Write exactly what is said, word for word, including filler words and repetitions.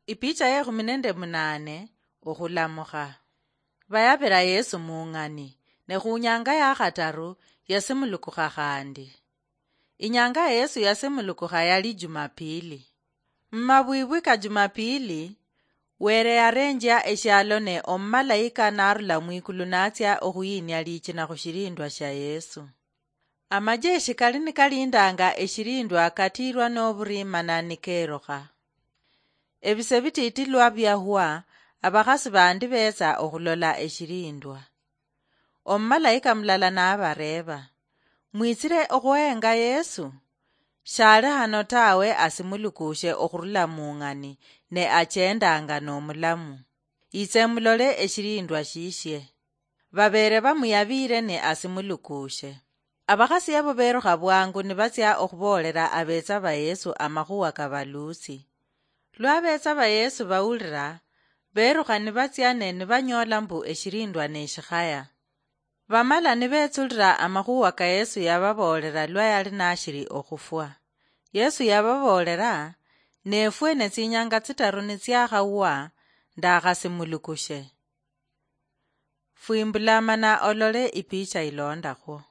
Ipicha yekhumi nende munane. Okhulamukha. Bayabira Yesu mung'ani, ne khunyanga yakhataru yasimulukukha khandi. Inyanga Yesu yasimulukukha yali Jumapili. Mumabwibwi ka Jumapili, Were yarenjia eshialo ne omumalayika narula mwikulu natsia okhuyinia lichina khushilindwa shia Yesu. Amajeshi kali nikalindanga eshilindwa katiirwa noburiimana nikerukha. Ebise bititi lwa biahwa, abakhasi bandi betsa okhulola eshilindwa. Omumalayika mulala nabareeba, "Mwitsire okhuhenga Yesu? Shali hano tawe, asimulukushe okhurula mung'ani, ne achendanga nomulamu. Itse mulole eshilindwa shishie." Babere bamuyabire ne asimulukushe. Abakhasi abo berukha bwangu nibatsia okhuboolela abetsa ba Yesu amakhuwa kabalusi. Lwa abetsa ba Yesu bawulira, berukha nibatsia ne nibanyoola mbu eshilindwa neshikhaya. Bamala nibetsulira amakhuwa ka Yesu yababoolela lwa yali nashili okhufwa. Yesu yababoolela, "Nefwe ne tsinyanga tsitaru nitsiakhawa, ndakhasimulukushe." Fwimbula mana olole ipicha ilondakhwo.